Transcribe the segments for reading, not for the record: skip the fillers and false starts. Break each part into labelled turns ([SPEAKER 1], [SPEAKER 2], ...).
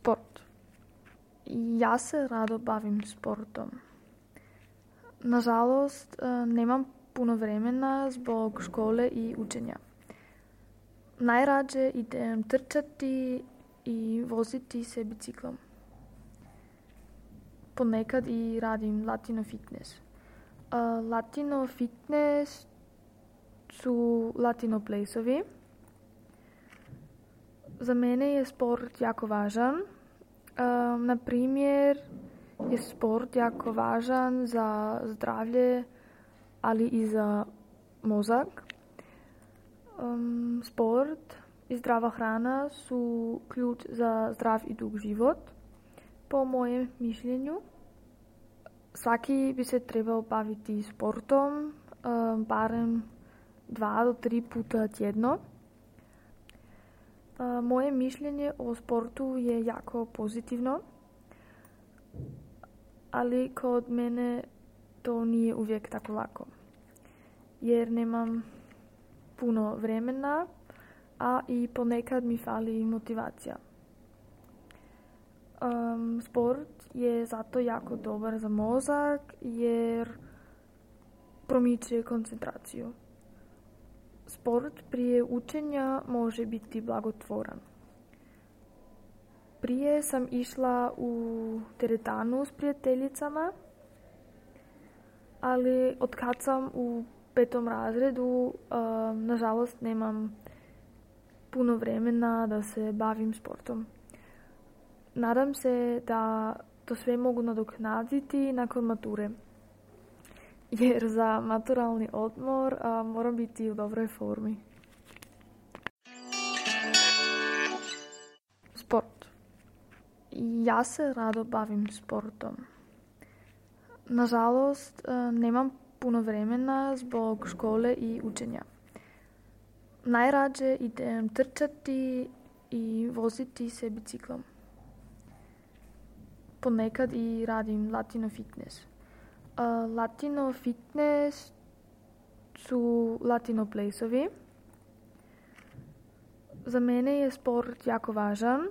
[SPEAKER 1] Sport. Ja se rado bavim sportom. Nažalost, nemam puno vremena zbog škole i učenja. Najrađe idem trčati i voziti se biciklom. Ponekad i radim latino fitness. Latino fitness su latino plesovi. Za mene je sport jako važan. Na primjer, je sport jako važan za zdravlje, ali i za mozak. Sport i zdrava hrana su ključ za zdrav i dug život. Po mojem mišljenju, svaki bi se trebao baviti sportom barem 2 do 3 puta tjedno. Moje mišljenje o sportu je jako pozitivno, ali kod mene to nije uvijek tako lako, jer nemam puno vremena, a i ponekad mi fali motivacija. Sport je zato jako dobar za mozak jer promiče koncentraciju. Sport prije učenja može biti blagotvoran. Prije sam išla u teretanu s prijateljicama, ali otkad sam u 5. razredu, nažalost nemam puno vremena da se bavim sportom. Nadam se da to sve mogu nadoknaditi nakon mature, jer za maturalni odmor moram biti u dobroj formi. Sport. Ja se rado bavim sportom. Nažalost, nemam puno vremena zbog škole i učenja. Najrađe idem trčati i voziti se biciklom. Ponekad i radim latino fitness. Latino fitness su latino plesovi. Za mene je sport jako važan.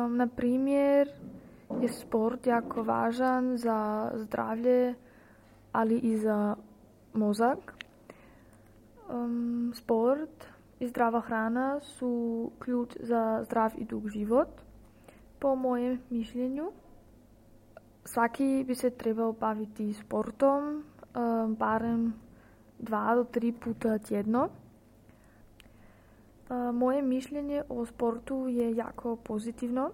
[SPEAKER 1] Na primjer, je sport jako važan za zdravlje, ali i za mozak. Sport i zdrava hrana su ključ za zdrav i dug život. Po mojem mišljenju, svaki bi se trebao baviti sportom barem 2 do 3 puta tjedno. Moje mišljenje o sportu je jako pozitivno,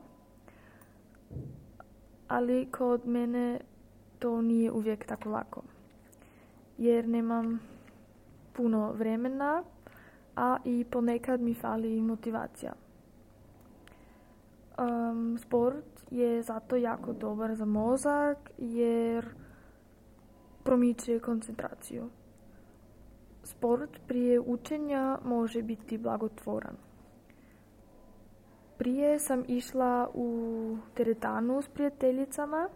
[SPEAKER 1] ali kod mene to nije uvijek tako lako, jer nemam puno vremena, a i ponekad mi fali motivacija. Sport je zato jako dobar za mozak jer promiče koncentraciju. Sport prije učenja može biti blagotvoran. Prije sam išla u teretanu s prijateljicama,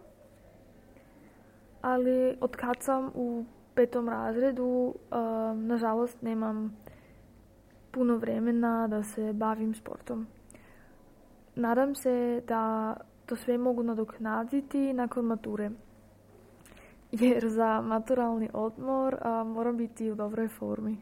[SPEAKER 1] ali otkad sam u 5. razredu, nažalost nemam puno vremena da se bavim sportom. Nadam se da to sve mogu nadoknaditi nakon mature, jer za maturalni odmor moram biti u dobroj formi.